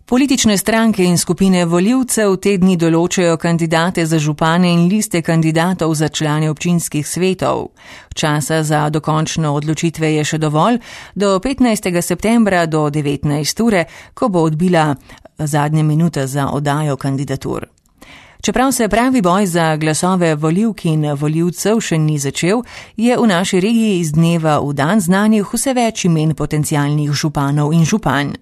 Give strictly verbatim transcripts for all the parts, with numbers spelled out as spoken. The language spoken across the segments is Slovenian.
Politične stranke in skupine volivcev te dni določajo kandidate za župane in liste kandidatov za člane občinskih svetov. Časa za dokončno odločitve je še dovolj, do petnajstega septembra do devetnajste ure, ko bo odbila zadnja minuta za oddajo kandidatur. Čeprav se pravi boj za glasove volivk in volivcev še ni začel, je v naši regiji iz dneva v dan znanih vse več imen potencialnih županov in županj.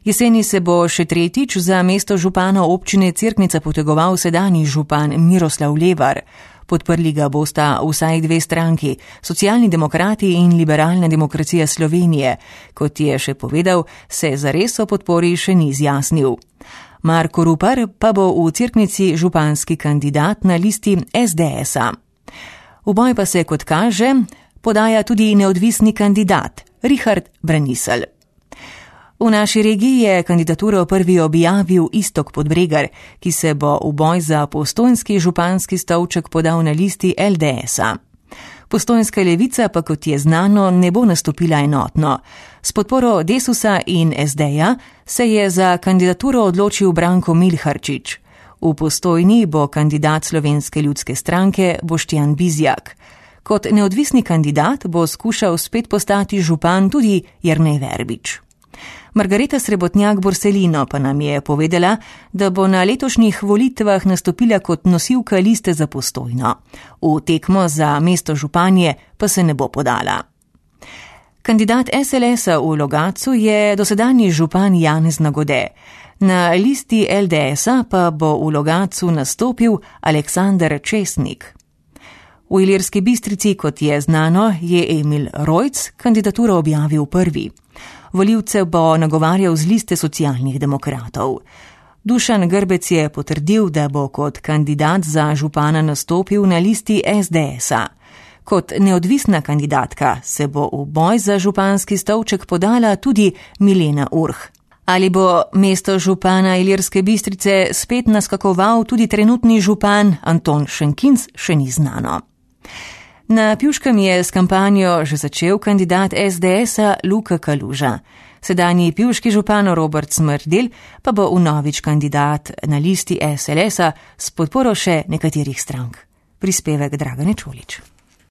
Jeseni se bo še tretjič za mesto župana občine Cerknica potegoval sedanji župan Miroslav Levar. Podprli ga bosta vsaj dve stranki, Socialni demokrati in Liberalna demokracija Slovenije. Kot je še povedal, se zares o podpori še ni izjasnil. Marko Rupar pa bo v Cerknici županski kandidat na listi es de esa. V boj pa se, kot kaže, podaja tudi neodvisni kandidat Richard Braniselj. V naši regiji je kandidaturo prvi objavil Iztok Podbregar, ki se bo v boj za postojnski županski stolček podal na listi el de esa. Postojnska levica pa, kot je znano, ne bo nastopila enotno. S podporo Desusa in es deja se je za kandidaturo odločil Branko Milharčič. V Postojni bo kandidat Slovenske ljudske stranke Boštjan Bizjak. Kot neodvisni kandidat bo skušal spet postati župan tudi Jernej Verbič. Margareta Srebotnjak-Borselino pa nam je povedala, da bo na letošnjih volitvah nastopila kot nosilka liste za Postojno. V tekmo za mesto županje pa se ne bo podala. Kandidat es el esa v Logatcu je dosedanji župan Janez Nagode. Na listi el de esa pa bo v Logatcu nastopil Aleksander Česnik. V Ilirski Bistrici, kot je znano, je Emil Rojc kandidaturo objavil prvi. Volivce bo nagovarjal z liste socialnih demokratov. Dušan Grbec je potrdil, da bo kot kandidat za župana nastopil na listi es de esa. Kot neodvisna kandidatka se bo v boj za županski stolček podala tudi Milena Urh. Ali bo mesto župana Ilirske Bistrice spet naskakoval tudi trenutni župan Anton Šenkinc, še ni znano. Na Pivškem je s kampanjo že začel kandidat es de esa Luka Kaluža. Sedanji pivški župan Robert Smrdelj pa bo vnovič kandidat na listi es el esa s podporo še nekaterih strank. Prispevek Dragane Čolić.